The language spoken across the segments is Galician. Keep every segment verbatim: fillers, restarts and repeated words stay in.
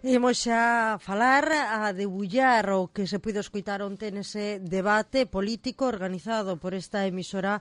Imos xa falar a debullar o que se puido escoitar onte nese debate político organizado por esta emisora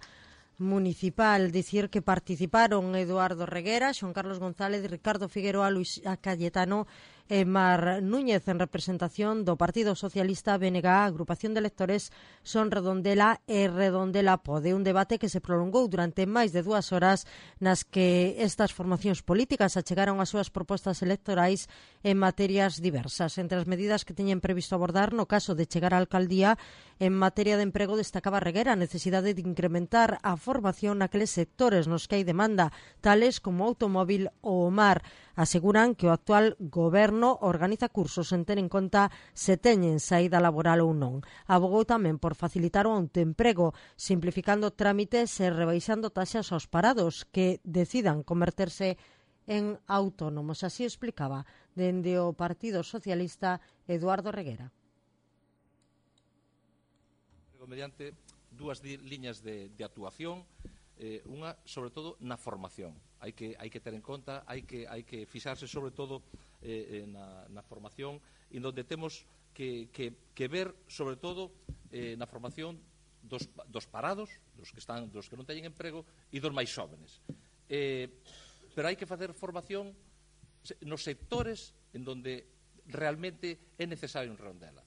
municipal. Dicir que participaron Eduardo Reguera, Xoán Carlos González, Ricardo Figueroa, Luis Cayetano e Mar Núñez en representación do Partido Socialista, B N G, Agrupación de Electores Son Redondela e Redondela Pode. Un debate que se prolongou durante máis de dúas horas nas que estas formacións políticas achegaron as súas propostas electorais en materias diversas. Entre as medidas que teñen previsto abordar no caso de chegar á alcaldía, en materia de emprego destacaba Reguera a necesidade de incrementar a formación naqueles sectores nos que hai demanda, tales como o automóbil ou o mar. Aseguran que o actual goberno organiza cursos sen ter en conta se teñen saída laboral ou non. Abogou tamén por facilitar o autoemprego, simplificando trámites e rebaixando taxas aos parados que decidan converterse en autónomos. Así explicaba dende o Partido Socialista Eduardo Reguera. Mediante dúas liñas de, de actuación, eh, unha, sobre todo, na formación. Hai que, hai que ter en conta, hai que, hai que fixarse, sobre todo, eh, na, na formación, en donde temos que, que, que ver, sobre todo, eh, na formación dos, dos parados, dos que, están, dos que non teñen emprego, e dos máis xóvenes. Eh, pero hai que facer formación nos sectores en donde realmente é necesario en Redondela.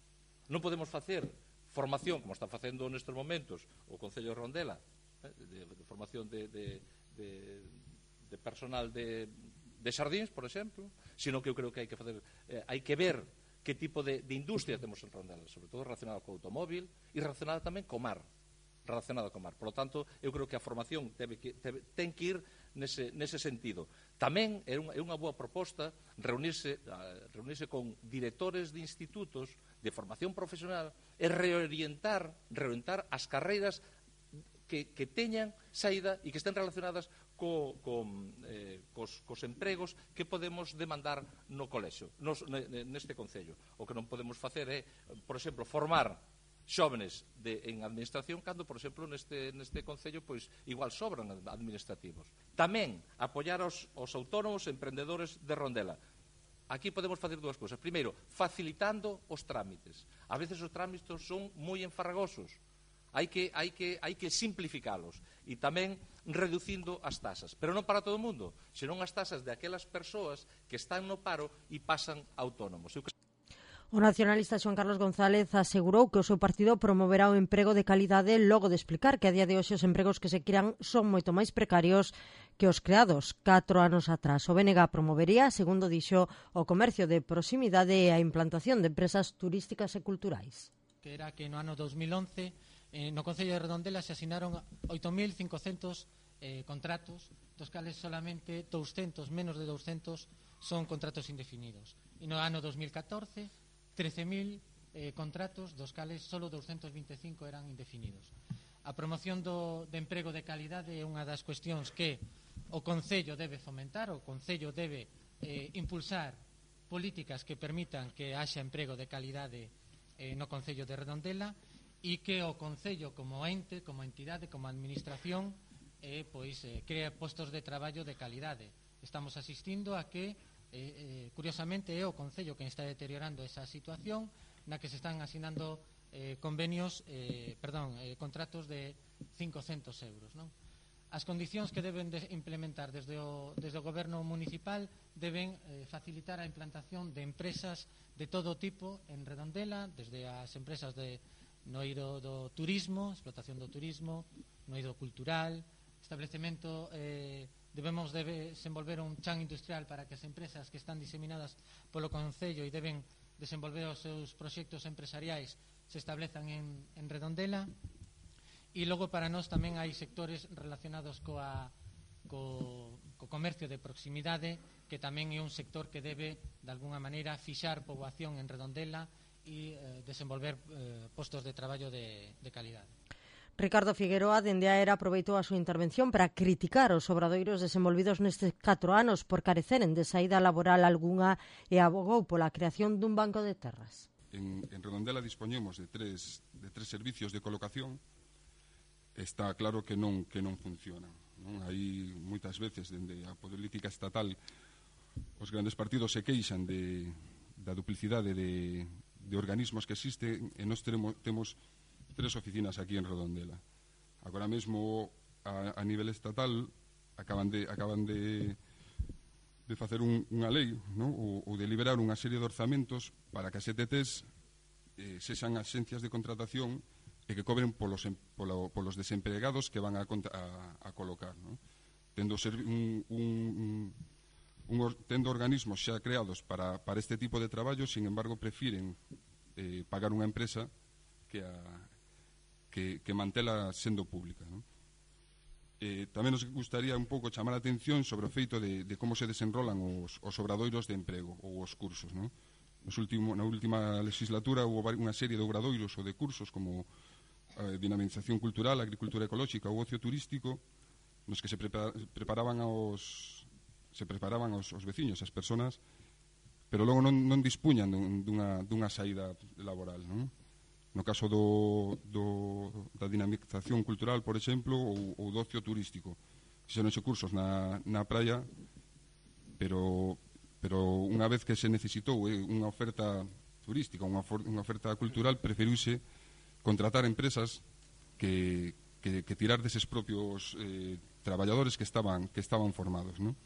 Non podemos facer formación, como está facendo nestes momentos o Concello de Redondela, eh, de, de formación de, de, de, de personal de, de xardíns, por exemplo, sino que eu creo que hai que facer, eh, hai que ver que tipo de, de industria temos en Redondela, sobre todo relacionada co automóvil e relacionada tamén co mar, relacionada co mar. Por lo tanto, eu creo que a formación debe que, debe, ten que ir nese, nese sentido. Tamén é unha, é unha boa proposta reunirse, uh, reunirse con directores de institutos de formación profesional e reorientar, reorientar as carreiras que, que teñan saída e que estén relacionadas co, co, eh, cos, cos empregos que podemos demandar no colexio, nos, neste concello. O que non podemos facer é, por exemplo, formar xóvenes de, en administración cando, por exemplo, neste, neste concello pois igual sobran administrativos. Tamén apoiar aos, aos autónomos e emprendedores de Redondela. Aquí podemos facer dúas cousas. Primeiro, facilitando os trámites. A veces os trámites son moi enfarragosos. Hai que, hai que, hai que simplificalos. E tamén reducindo as tasas. Pero non para todo o mundo, senón as tasas de aquelas persoas que están no paro e pasan autónomos. Eu que... O nacionalista Xoán Carlos González asegurou que o seu partido promoverá o emprego de calidade logo de explicar que a día de hoxe os empregos que se crean son moito máis precarios que os creados catro anos atrás. O B N G promovería, segundo dixo, o comercio de proximidade e a implantación de empresas turísticas e culturais. Que era que no ano dos mil once eh, no Concello de Redondela se asinaron oito mil cincocentos eh, contratos, dos cales solamente douscentos, menos de douscentos, son contratos indefinidos. E no ano dos mil catorce trece mil eh, contratos, dos cales solo doscientos vinte e cinco eran indefinidos. A promoción do, de emprego de calidade é unha das cuestións que o Concello debe fomentar, o Concello debe eh, impulsar políticas que permitan que haxa emprego de calidade eh, no Concello de Redondela e que o Concello como ente, como entidade, como administración eh, pois, eh, crea postos de traballo de calidade. Estamos asistindo a que Eh, eh, curiosamente é o Concello que está deteriorando esa situación na que se están asinando eh, convenios, eh, perdón, eh, contratos de cincocentos euros, non? As condicións que deben de implementar desde o, desde o goberno municipal deben eh, facilitar a implantación de empresas de todo tipo en Redondela, desde as empresas de no eido do turismo, explotación do turismo, no eido cultural, establecemento eh, debemos de desenvolver un chan industrial para que as empresas que están diseminadas polo Concello e deben desenvolver os seus proxectos empresariais se establezan en, en Redondela. E logo para nós tamén hai sectores relacionados coa, co, co comercio de proximidade, que tamén é un sector que debe de alguna maneira fixar poboación en Redondela e eh, desenvolver eh, postos de traballo de, de calidade. Ricardo Figueroa, dende a era, aproveitou a súa intervención para criticar os obradoiros desenvolvidos nestes catro anos por careceren de saída laboral algunha e abogou pola creación dun banco de terras. En, en Redondela dispoñemos de tres, de tres servicios de colocación. Está claro que non, que non funcionan, non? Hai moitas veces, dende a política estatal, os grandes partidos se queixan de, da duplicidade de, de organismos que existen, e nós teremos, temos tres oficinas aquí en Redondela. Agora mesmo, a, a nivel estatal, acaban de, acaban de, de facer un, unha lei, ¿no? ou, ou de liberar unha serie de orzamentos para que as E T Ts eh, sexan axencias de contratación e que cobren polos, polo, polos desempregados que van a, a, a colocar, ¿no? Tendo ser un, un, un, tendo organismos xa creados para, para este tipo de traballo, sin embargo, prefiren eh, pagar unha empresa que, a, que, que mantela sendo pública, ¿no? Eh, tamén nos gustaría un pouco chamar a atención sobre o feito de, de como se desenrolan os, os obradoiros de emprego ou os cursos, ¿no? Nos último, na última legislatura houve unha serie de obradoiros ou de cursos como eh, dinamización cultural, agricultura ecolóxica ou ocio turístico, nos que se prepara, preparaban aos se preparaban aos, aos veciños, as persoas, pero logo non, non dispuñan dun, dunha, dunha saída laboral, non? No caso do, do, da dinamización cultural, por exemplo, ou, ou do ocio turístico, fixeronse cursos na, na praia, pero, pero unha vez que se necesitou eh, unha oferta turística, unha, unha oferta cultural, preferiuse contratar empresas que, que, que tirar deses propios eh, traballadores que estaban, que estaban formados, ¿no?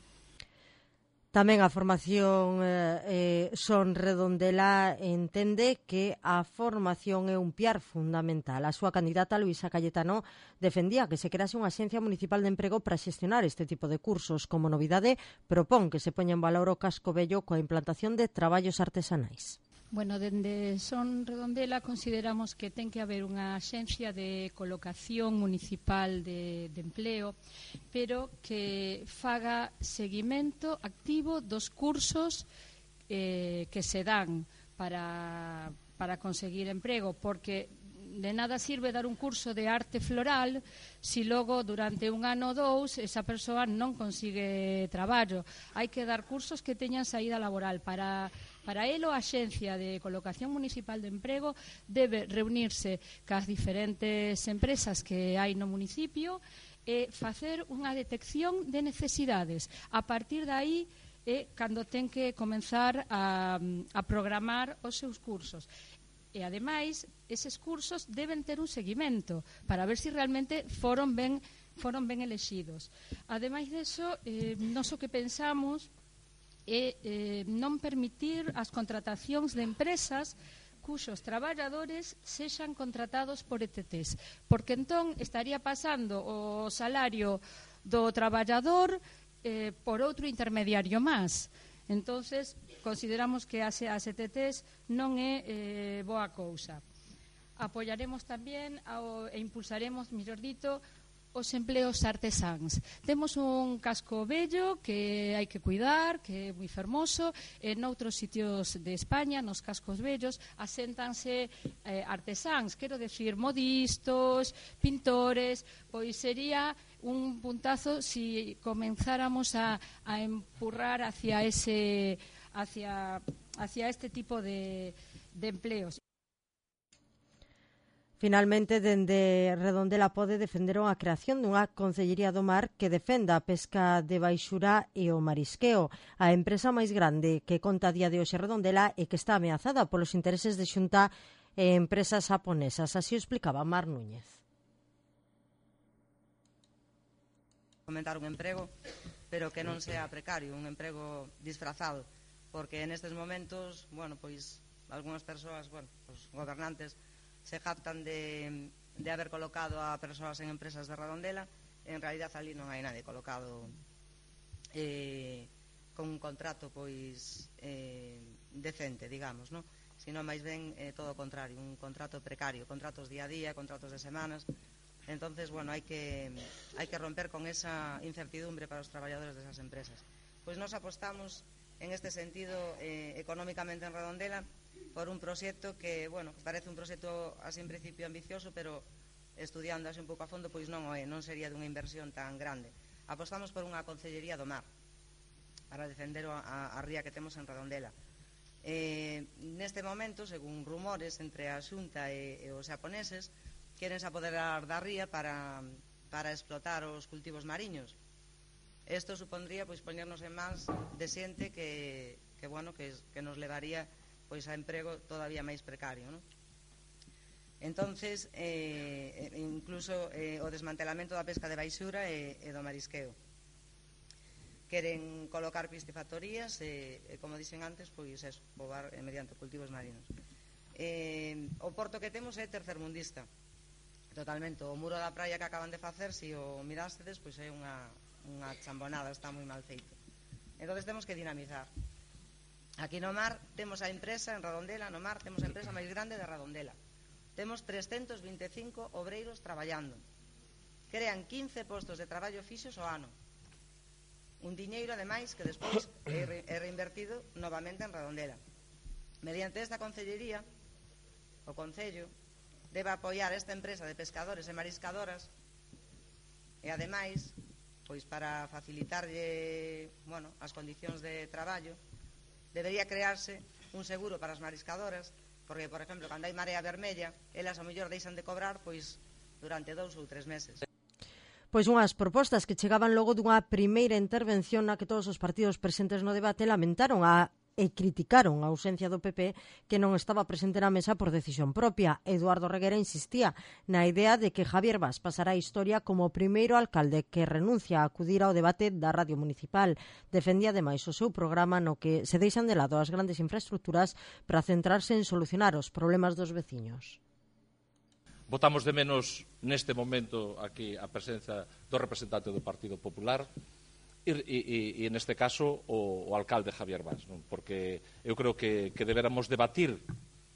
Tamén a formación eh, Son Redondela entende que a formación é un piar fundamental. A súa candidata, Luisa Cayetano, defendía que se crease unha axencia municipal de emprego para xestionar este tipo de cursos. Como novidade, propón que se poña en valor o casco vello coa implantación de traballos artesanais. Bueno, dende Son Redondela consideramos que ten que haber unha axencia de colocación municipal de, de empleo, pero que faga seguimento activo dos cursos eh, que se dan para, para conseguir emprego, porque de nada sirve dar un curso de arte floral si logo durante un ano ou dous esa persoa non consigue traballo. Hai que dar cursos que teñan saída laboral. Para Para elo, a Axencia de Colocación Municipal de Emprego debe reunirse cas diferentes empresas que hai no municipio e facer unha detección de necesidades. A partir de aí é cando ten que comenzar a, a programar os seus cursos. E, ademais, eses cursos deben ter un seguimento para ver se si realmente foron ben, foron ben elexidos. Ademais deso, eh, nos o que pensamos é eh, non permitir as contratacións de empresas cuxos traballadores sexan contratados por E T Ts, porque entón estaría pasando o salario do traballador eh, por outro intermediario máis. Entonces, consideramos que as, as E T Ts non é eh, boa cousa. Apoiaremos tamén ao, e impulsaremos, mellor dito, os empleos artesáns. Temos un casco bello que hai que cuidar, que é moi fermoso. En outros sitios de España, nos cascos bellos, aséntanse eh, artesáns, quero decir, modistos, pintores. Pois sería un puntazo si comenzáramos a, a empurrar hacia ese hacia, hacia este tipo de, de empleos. Finalmente, dende Redondela Pode defenderon a creación dunha Concellería do Mar que defenda a pesca de baixura e o marisqueo. A empresa máis grande que conta a día de hoxe Redondela e que está ameazada polos intereses de Xunta e empresas japonesas. Así o explicaba Mar Núñez. Comentar un emprego, pero que non sea precario, un emprego disfrazado, porque nestes momentos, bueno, pois, algunhas persoas, bueno, os gobernantes se jactan de, de haber colocado a persoas en empresas de Redondela. En realidad ali non hai nadie colocado eh, con un contrato pois eh, decente, digamos, ¿no? Sino máis ben eh, todo o contrario, un contrato precario, contratos día a día, contratos de semanas. Entonces, bueno, hai que, hai que romper con esa incertidumbre para os traballadores desas empresas. Pois nos apostamos en este sentido eh, económicamente en Redondela por un proxecto que, bueno, parece un proxecto así en principio ambicioso, pero estudiando así un pouco a fondo, pois non o é, non sería dunha inversión tan grande. Apostamos por unha Concellería do Mar para defender a, a ría que temos en Redondela. Eh, neste momento, según rumores entre a Xunta e, e os xaponeses, queren se apoderar da ría para, para explotar os cultivos mariños. Isto supondría pois poñernos en mans de xente que, que, bueno, que, que nos levaría pois a emprego todavía máis precario, non? Entonces, eh, incluso eh, o desmantelamento da pesca de baixura e, e do marisqueo. Queren colocar piscifactorías e, e como dixen antes, pois eso, pobar eh, mediante cultivos marinos. Eh, o porto que temos é tercermundista, totalmente. O muro da praia que acaban de facer, se o mirástedes, pois é unha, unha chambonada, está moi mal feito. Entonces temos que dinamizar. Aquí no mar temos a empresa, en Redondela, no mar temos a empresa máis grande de Redondela. Temos trescentos vinte e cinco obreiros traballando. Crean quince postos de traballo fixos ao ano. Un diñeiro, ademais, que despois é, re, é reinvertido novamente en Redondela. Mediante esta concellería, o Concello debe apoiar esta empresa de pescadores e mariscadoras e, ademais, pois para facilitarlle, bueno, as condicións de traballo, debería crearse un seguro para as mariscadoras, porque, por exemplo, cando hai marea vermella, elas ao mellor deixan de cobrar pois durante dous ou tres meses. Pois unhas propostas que chegaban logo dunha primeira intervención na que todos os partidos presentes no debate lamentaron a e criticaron a ausencia do P P, que non estaba presente na mesa por decisión propia. Eduardo Reguera insistía na idea de que Javier Bas pasará a historia como o primeiro alcalde que renuncia a acudir ao debate da radio municipal. Defendía ademais o seu programa no que se deixan de lado as grandes infraestructuras para centrarse en solucionar os problemas dos veciños. Votamos de menos neste momento aquí a presenza do representante do Partido Popular e, e, e neste caso o, o alcalde Javier Bas, non? Porque eu creo que, que deberamos debatir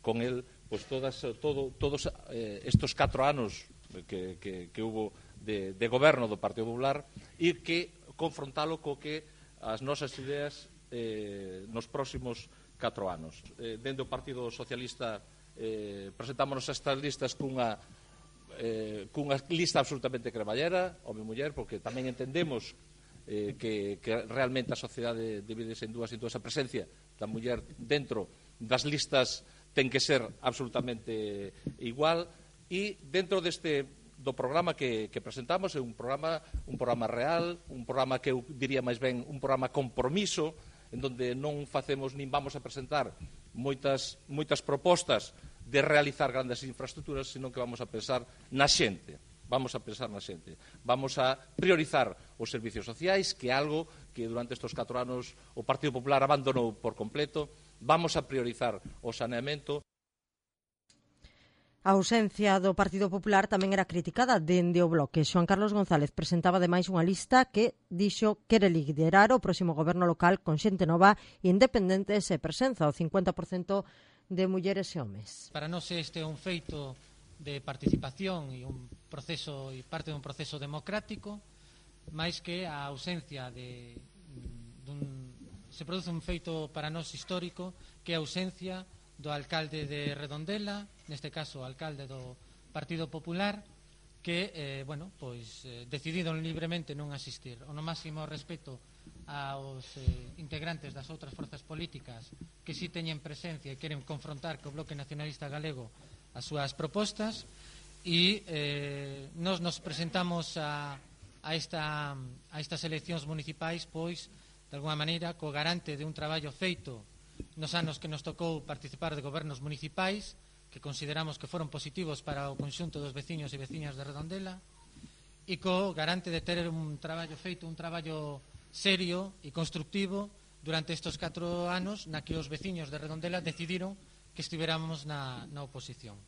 con el pues, todas, todo, todos eh, estos catro anos que, que, que hubo de, de goberno do Partido Popular e que confrontalo co que as nosas ideas eh, nos próximos catro anos. Eh, dentro do Partido Socialista eh, presentámonos estas listas cunha eh, cunha lista absolutamente cremallera, home e muller, porque tamén entendemos eh, que, que realmente a sociedade divídese en dúas, en dúas a presencia da muller dentro das listas ten que ser absolutamente igual e dentro deste do programa que, que presentamos é un programa un programa real, un programa que eu diría máis ben un programa compromiso en donde non facemos nin vamos a presentar moitas, moitas propostas de realizar grandes infraestructuras, sino que vamos a pensar na xente. Vamos a pensar na xente. Vamos a priorizar os servicios sociais, que é algo que durante estes catro anos o Partido Popular abandonou por completo. Vamos a priorizar o saneamento. A ausencia do Partido Popular tamén era criticada dende o Bloque. Xoan Carlos González presentaba ademais unha lista que dixo quere liderar o próximo goberno local con xente nova e independente e presenza o cincuenta por cento de mulleres e homes. Para nós este é un feito de participación e un proceso e parte dun proceso democrático, máis que a ausencia de dun, se produce un feito para nós histórico que é a ausencia do alcalde de Redondela, neste caso o alcalde do Partido Popular, que, eh, bueno, pois eh, decidiron libremente non asistir. O no máximo respeto aos eh, integrantes das outras forzas políticas que si teñen presencia e queren confrontar co Bloque Nacionalista Galego as súas propostas e eh, nos nos presentamos a, a, esta, a estas eleccións municipais pois, de alguma maneira, co garante de un traballo feito nos anos que nos tocou participar de gobernos municipais que consideramos que foron positivos para o conxunto dos veciños e veciñas de Redondela e co garante de ter un traballo feito, un traballo serio e constructivo durante estes catro anos na que os veciños de Redondela decidiron que estiveramos na, na oposición.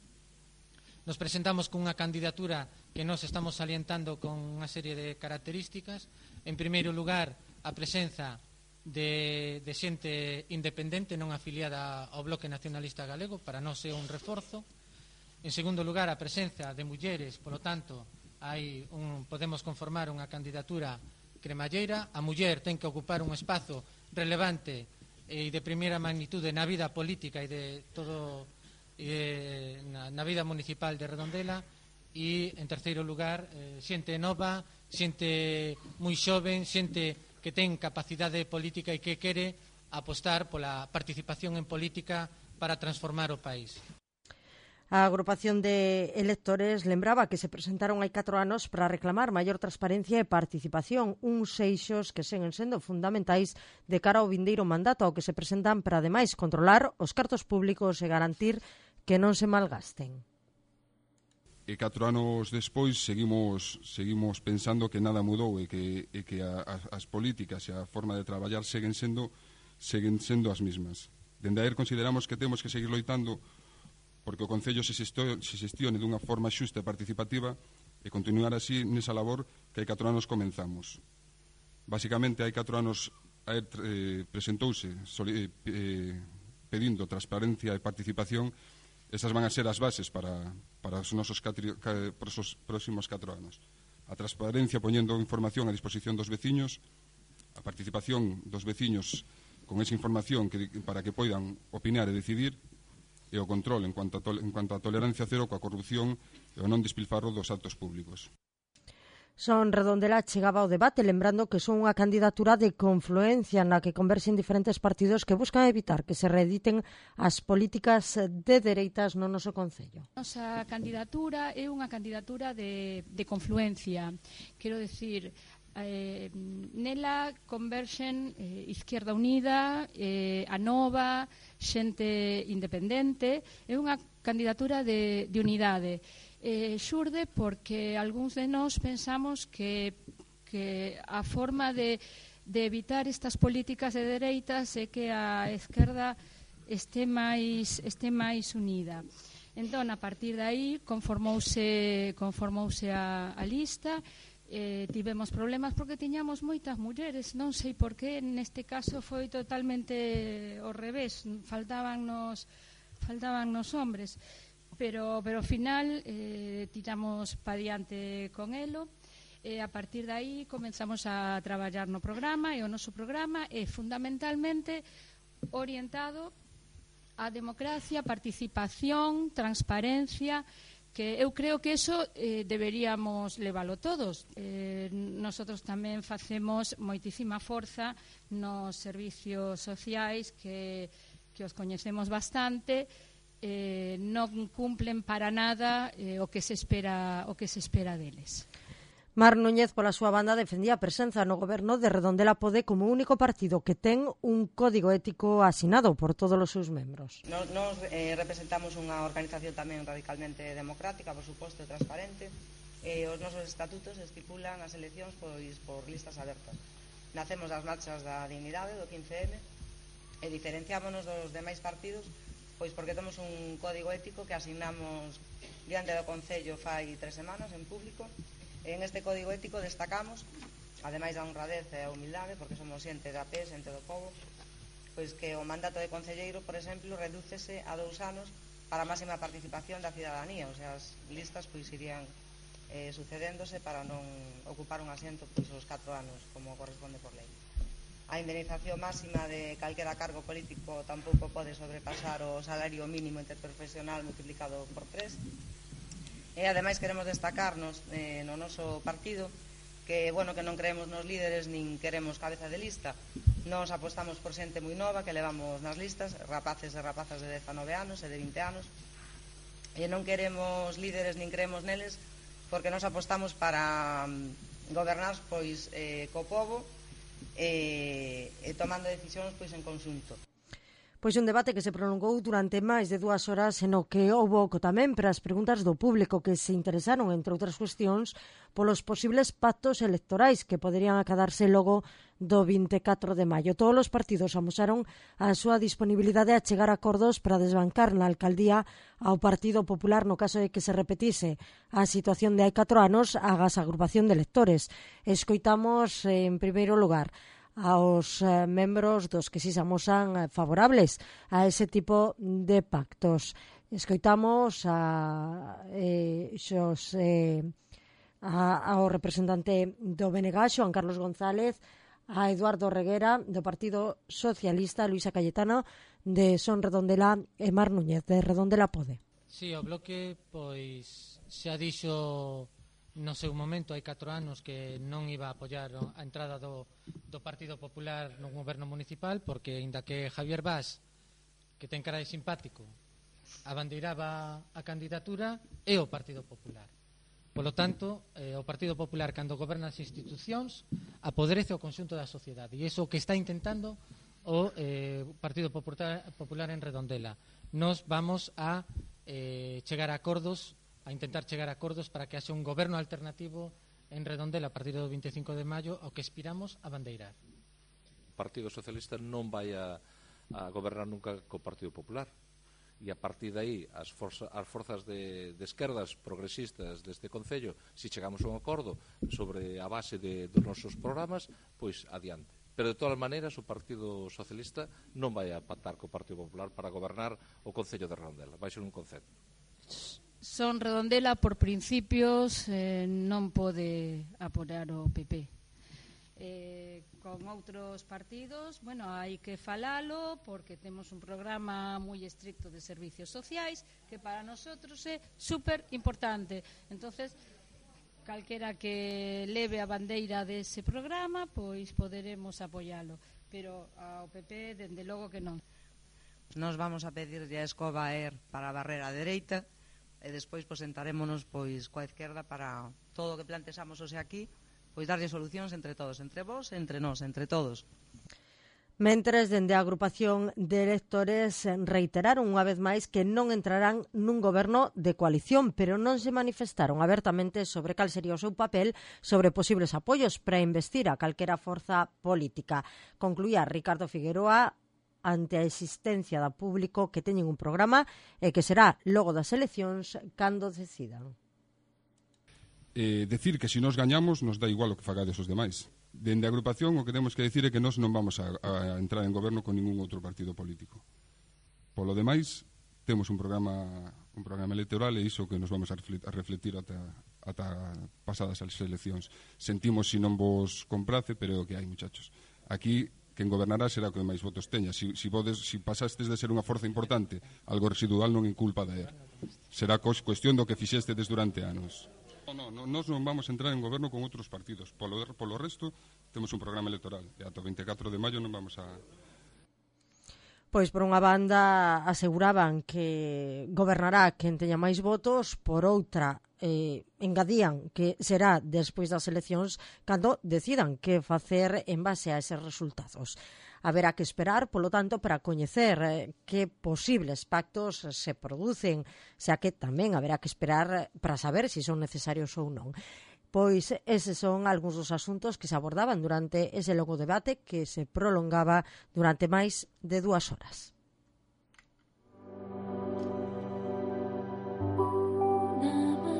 Nos presentamos con unha candidatura que nos estamos salientando con unha serie de características. En primeiro lugar, a presenza de, de xente independente non afiliada ao Bloque Nacionalista Galego, para nós é un reforzo. En segundo lugar, a presenza de mulleres, polo tanto, hai un, podemos conformar unha candidatura cremalleira. A muller ten que ocupar un espazo relevante e de primeira magnitude na vida política e de todo e na, na vida municipal de Redondela. E, en terceiro lugar, eh, xente nova, xente moi xoven, xente que ten capacidade política e que quere apostar pola participación en política para transformar o país. A agrupación de electores lembraba que se presentaron hai catro anos para reclamar maior transparencia e participación, uns eixos que seguen sendo fundamentais de cara ao vindeiro mandato, ao que se presentan para ademais controlar os cartos públicos e garantir que non se malgasten. E catro anos despois seguimos seguimos pensando que nada mudou e que, e que a, a, as políticas e a forma de traballar seguen sendo seguen sendo as mesmas. Dende aí consideramos que temos que seguir loitando porque o Concello se xestione dunha forma xusta e participativa e continuar así nesa labor que hai catro anos comenzamos. Basicamente, hai catro anos eh, presentouse eh, pedindo transparencia e participación. Esas van a ser as bases para, para os nosos catri, ca, para os próximos catro anos. A transparencia poñendo información a disposición dos veciños, a participación dos veciños con esa información que, para que poidan opinar e decidir, e o control en cuanto a, to, en cuanto a tolerancia cero coa corrupción e o non despilfarro dos actos públicos. Son Redondela chegaba ao debate lembrando que son unha candidatura de confluencia na que converxen diferentes partidos que buscan evitar que se reediten as políticas de dereitas no noso Concello. Nosa candidatura é unha candidatura de, de confluencia, quero decir, Eh, nela converxen eh, Izquierda Unida, eh, a Nova, xente independente. É unha candidatura de, de unidade. Eh, xurde porque algúns de nós pensamos que, que a forma de, de evitar estas políticas de dereitas é que a esquerda este máis, este máis unida. Entón, a partir de aí, conformouse, conformouse a, a lista. Eh, tivemos problemas porque tiñamos moitas mulleres, non sei por que neste caso foi totalmente ao revés, faltaban nos faltaban nos hombres, pero pero ao final eh, tiramos pa diante con elo e a partir de aí comenzamos a traballar no programa, e o noso programa é fundamentalmente orientado á democracia, participación, transparencia, que eu creo que eso eh, deberíamos leválo todos. Eh, nosotros tamén facemos moitísima forza nos servicios sociais que, que os coñecemos bastante, eh, non cumplen para nada eh, o que se espera o que se espera deles. Mar Núñez, pola súa banda, defendía a presenza no goberno de Redondela Pode como único partido que ten un código ético asinado por todos os seus membros. Nos, nos eh, representamos unha organización tamén radicalmente democrática, por suposto, e transparente. Eh, os nosos estatutos estipulan as eleccións pois, por listas abertas. Nacemos das marchas da dignidade do quince eme e diferenciámonos dos demais partidos pois porque temos un código ético que asignamos diante do Concello fai tres semanas en público. En este código ético destacamos, ademais da honradez e a humildade, porque somos xente da P E, xente do povo, pois que o mandato de concelleiro, por exemplo, redúcese a dous anos para a máxima participación da cidadanía, o sea, as listas pois irían eh, sucedéndose para non ocupar un asiento pois os catro anos, como corresponde por lei. A indemnización máxima de calquera cargo político tampouco pode sobrepasar o salario mínimo interprofesional multiplicado por tres. E ademais queremos destacarnos eh, no noso partido que, bueno, que non creemos nos líderes nin queremos cabeza de lista. Nos apostamos por xente moi nova que levamos nas listas, rapaces e rapazas de dezanove anos e de vinte anos, e non queremos líderes nin creemos neles porque nos apostamos para um, gobernar pois eh, co povo e, e tomando decisións pois en conxunto. Pois un debate que se prolongou durante máis de dúas horas e no que houbo oco tamén para as preguntas do público que se interesaron, entre outras cuestións, polos posibles pactos electorais que poderían acadarse logo do vinte e catro de maio. Todos os partidos amosaron a súa disponibilidade a chegar a acordos para desbancar na alcaldía ao Partido Popular no caso de que se repetise a situación de hai catro anos agás a agrupación de electores. Escoitamos, en primeiro lugar, aos eh, membros dos que si se amosan eh, favorables a ese tipo de pactos. Escoitamos a, eh, xos, eh, a, ao representante do B N G, Xoan Carlos González, a Eduardo Reguera, do Partido Socialista, Luisa Cayetano, de Son Redondela, e Mar Núñez, de Redondela Pode. Si, sí, o bloque, pois, xa dixo no seu momento, hai catro anos, que non iba a apoiar a entrada do, do Partido Popular no goberno municipal, porque, inda que Javier Vaz, que ten cara de simpático, abandeiraba a candidatura e o Partido Popular. Polo tanto, eh, o Partido Popular, cando goberna as institucións, apoderece o conxunto da sociedade. E iso que está intentando o eh, Partido Popular, Popular en Redondela. Nos vamos a eh, chegar a acordos, a intentar chegar a acordos para que haxe un goberno alternativo en Redondela a partir do veinticinco de maio, ao que aspiramos a bandeirar. O Partido Socialista non vai a, a gobernar nunca co Partido Popular. E a partir de aí as, forza, as forzas de, de esquerdas progresistas deste Concello, se chegamos a un acordo sobre a base de, dos nosos programas, pois adiante. Pero de todas maneiras o Partido Socialista non vai a pactar co Partido Popular para gobernar o Concello de Redondela, vai ser un concepto. Son Redondela por principios, eh, non pode apoiar o P P. Eh, con outros partidos, bueno, hai que falalo porque temos un programa moi estricto de servicios sociais que para nosotros é super importante. Entonces, calquera que leve a bandeira dese programa, pois poderemos apoialo, pero ao P P dende logo que non. Nos vamos a pedirlle a escoba a ER para a barrera dereita e despois pois sentarémonos pois coa izquierda para todo o que plantexamos hoxe aquí, pois darlle solucións entre todos, entre vos, entre nós, entre todos. Mentres, dende a agrupación de electores reiteraron unha vez máis que non entrarán nun goberno de coalición, pero non se manifestaron abertamente sobre cal sería o seu papel sobre posibles apoios para investir a calquera forza política. Concluía Ricardo Figueroa ante a existencia da público que teñen un programa e que será logo das eleccións cando decidan. Eh, decir que se nos gañamos nos dá igual o que fagades os demais. Dende a agrupación o que temos que decir é que nós non vamos a, a entrar en goberno con ningún outro partido político. Polo demais, temos un programa un programa electoral e iso que nos vamos a refletir ata, ata pasadas as eleccións. Sentimos se non vos comprace, pero é o que hai, muchachos. Aquí, quen gobernará será o que máis votos teña. Si, si, podes, si pasastes de ser unha forza importante, algo residual non é culpa da E R. Será cuestión do que fixestedes durante anos. No, no, nós non vamos a entrar en goberno con outros partidos. Polo, polo resto, temos un programa electoral. E ata o veinticuatro de maio non vamos a... Pois, por unha banda, aseguraban que gobernará quen teña máis votos, por outra, eh, engadían que será despois das eleccións cando decidan que facer en base a eses resultados. Haberá que esperar, polo tanto, para coñecer eh, que posibles pactos se producen, xa que tamén haberá que esperar para saber se si son necesarios ou non. Pois eses son algúns dos asuntos que se abordaban durante ese longo debate que se prolongaba durante máis de dúas horas.